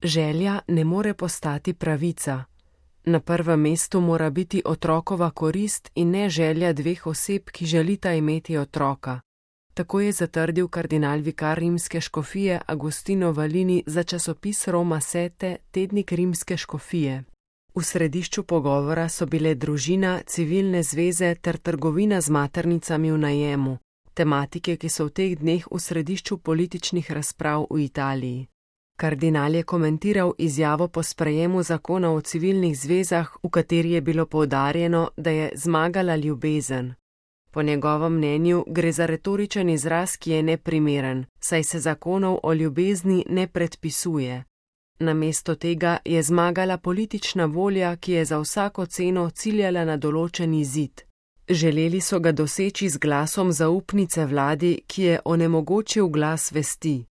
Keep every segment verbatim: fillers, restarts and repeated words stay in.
Želja ne more postati pravica. Na prvem mestu mora biti otrokova korist in ne želja dveh oseb, ki želita imeti otroka. Tako je zatrdil kardinal vikar rimske škofije Agostino Valini za časopis Roma Sette, tednik rimske škofije. V središču pogovora so bile družina, civilne zveze ter trgovina z maternicami v najemu, tematike, ki so v teh dneh v središču političnih razprav v Italiji. Kardinal je komentiral izjavo po sprejemu zakona o civilnih zvezah, v kateri je bilo poudarjeno, da je zmagala ljubezen. Po njegovem mnenju gre za retoričen izraz, ki je neprimeren, saj se zakonov o ljubezni ne predpisuje. Namesto tega je zmagala politična volja, ki je za vsako ceno ciljala na določen izid. Želeli so ga doseči z glasom zaupnice vladi, ki je onemogočil glas vesti.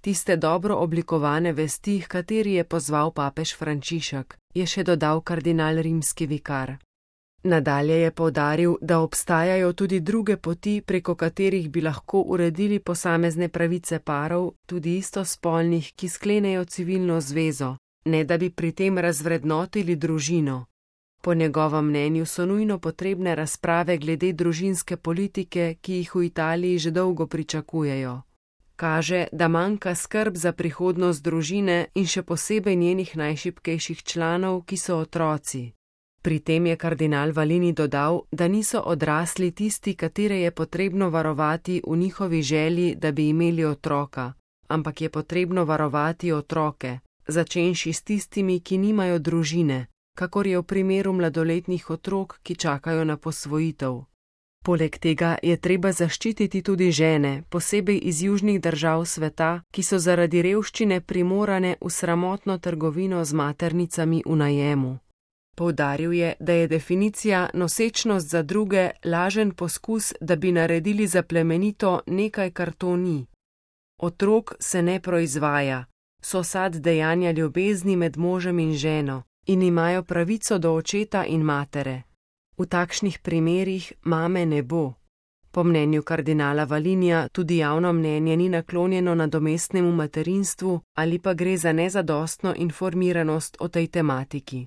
Tiste dobro oblikovane vesti, h kateri je pozval papež Frančišek, je še dodal kardinal rimski vikar. Nadalje je poudaril, da obstajajo tudi druge poti, preko katerih bi lahko uredili posamezne pravice parov, tudi istospolnih, ki sklenejo civilno zvezo, ne da bi pri tem razvrednotili družino. Po njegovem mnenju so nujno potrebne razprave glede družinske politike, ki jih v Italiji že dolgo pričakujejo. Kaže, da manjka skrb za prihodnost družine in še posebej njenih najšibkejših članov, ki so otroci. Pri tem je kardinal Valini dodal, da niso odrasli tisti, katere je potrebno varovati v njihovi želji, da bi imeli otroka, ampak je potrebno varovati otroke, začenši s tistimi, ki nimajo družine, kakor je v primeru mladoletnih otrok, ki čakajo na posvojitev. Poleg tega je treba zaščititi tudi žene, posebej iz južnih držav sveta, ki so zaradi revščine primorane v sramotno trgovino z maternicami v najemu. Poudaril je, da je definicija nosečnost za druge lažen poskus, da bi naredili za plemenito nekaj, kar to ni. Otrok se ne proizvaja, so sad dejanja ljubezni med možem in ženo in imajo pravico do očeta in matere. V takšnih primerih mame ne bo. Po mnenju kardinala Valinija tudi javno mnenje ni naklonjeno nadomestnemu materinstvu ali pa gre za nezadostno informiranost o tej tematiki.